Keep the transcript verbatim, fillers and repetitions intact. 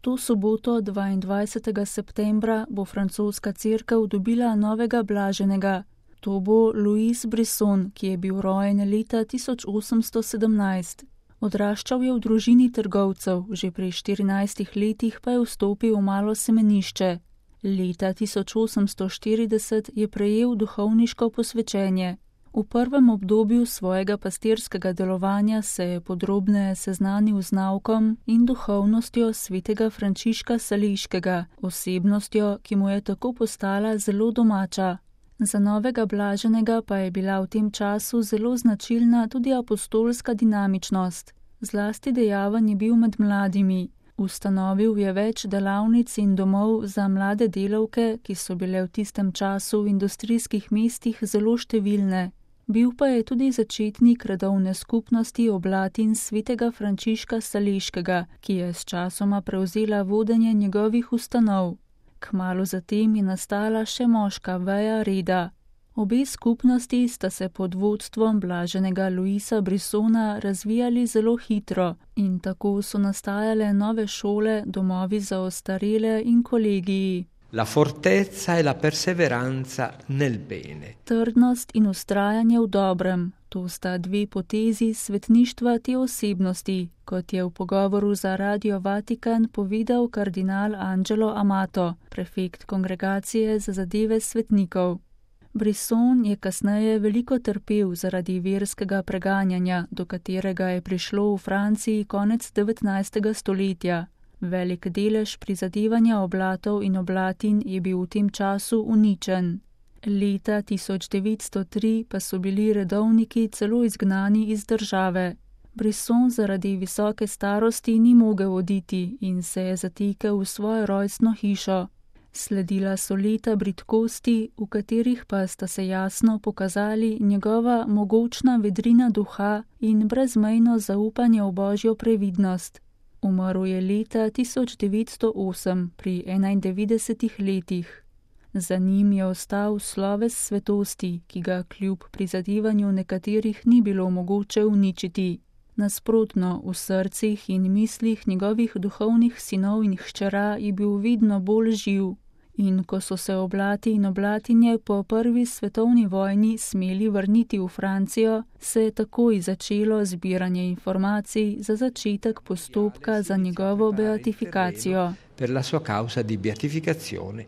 To soboto dvaindvajsetega septembra bo francoska cerkev dobila novega blaženega. To bo Louis Brisson, ki je bil rojen leta tisoč osemsto sedemnajst. Odraščal je v družini trgovcev, že pri štirinajstih letih pa je vstopil v malo semenišče. Leta tisoč osemsto štirideset je prejel duhovniško posvečenje. V prvem obdobju svojega pastirskega delovanja se je podrobneje seznanil z naukom in duhovnostjo svetega Frančiška Saleškega, osebnostjo, ki mu je tako postala zelo domača. Za novega blaženega pa je bila v tem času zelo značilna tudi apostolska dinamičnost. Zlasti dejaven je bil med mladimi. Ustanovil je več delavnic in domov za mlade delavke, ki so bile v tistem času v industrijskih mestih zelo številne. Bil pa je tudi začetnik redovne skupnosti oblatin svetega Frančiška Saleškega, ki je s časoma prevzela vodenje njegovih ustanov. Kmalu zatem je nastala še moška veja reda. Obe skupnosti sta se pod vodstvom blaženega Louisa Brissona razvijali zelo hitro in tako so nastajale nove šole, domovi za ostarele in kolegiji. La fortezza e la perseveranza nel bene. Trdnost in ustrajanje v dobrem, to sta dve potezi svetništva te osebnosti, kot je v pogovoru za Radio Vatikan povedal kardinal Angelo Amato, prefekt kongregacije za zadeve svetnikov. Brisson je kasneje veliko trpel zaradi verskega preganjanja, do katerega je prišlo v Franciji konec devetnajstega stoletja. Velik delež prizadevanja oblatov in oblatin je bil v tem času uničen. Leta tisoč devetsto tri pa so bili redovniki celo izgnani iz države. Brisson zaradi visoke starosti ni mogel oditi in se je zatekel v svojo rojstno hišo. Sledila so leta bridkosti, v katerih pa sta se jasno pokazali njegova mogočna vedrina duha in brezmejno zaupanje v božjo previdnost. Umrl je leta tisoč devetsto osem pri enaindevetdesetih letih. Za njim je ostal sloves svetosti, ki ga kljub prizadevanju nekaterih ni bilo mogoče uničiti. Nasprotno, v srcih in mislih njegovih duhovnih sinov in hčera je bil vedno bolj živ. In ko so se oblati in oblatinje po prvi svetovni vojni smeli vrniti v Francijo, se je takoj začelo zbiranje informacij za začetek postopka za njegovo beatifikacijo. Per la sua causa di beatificazione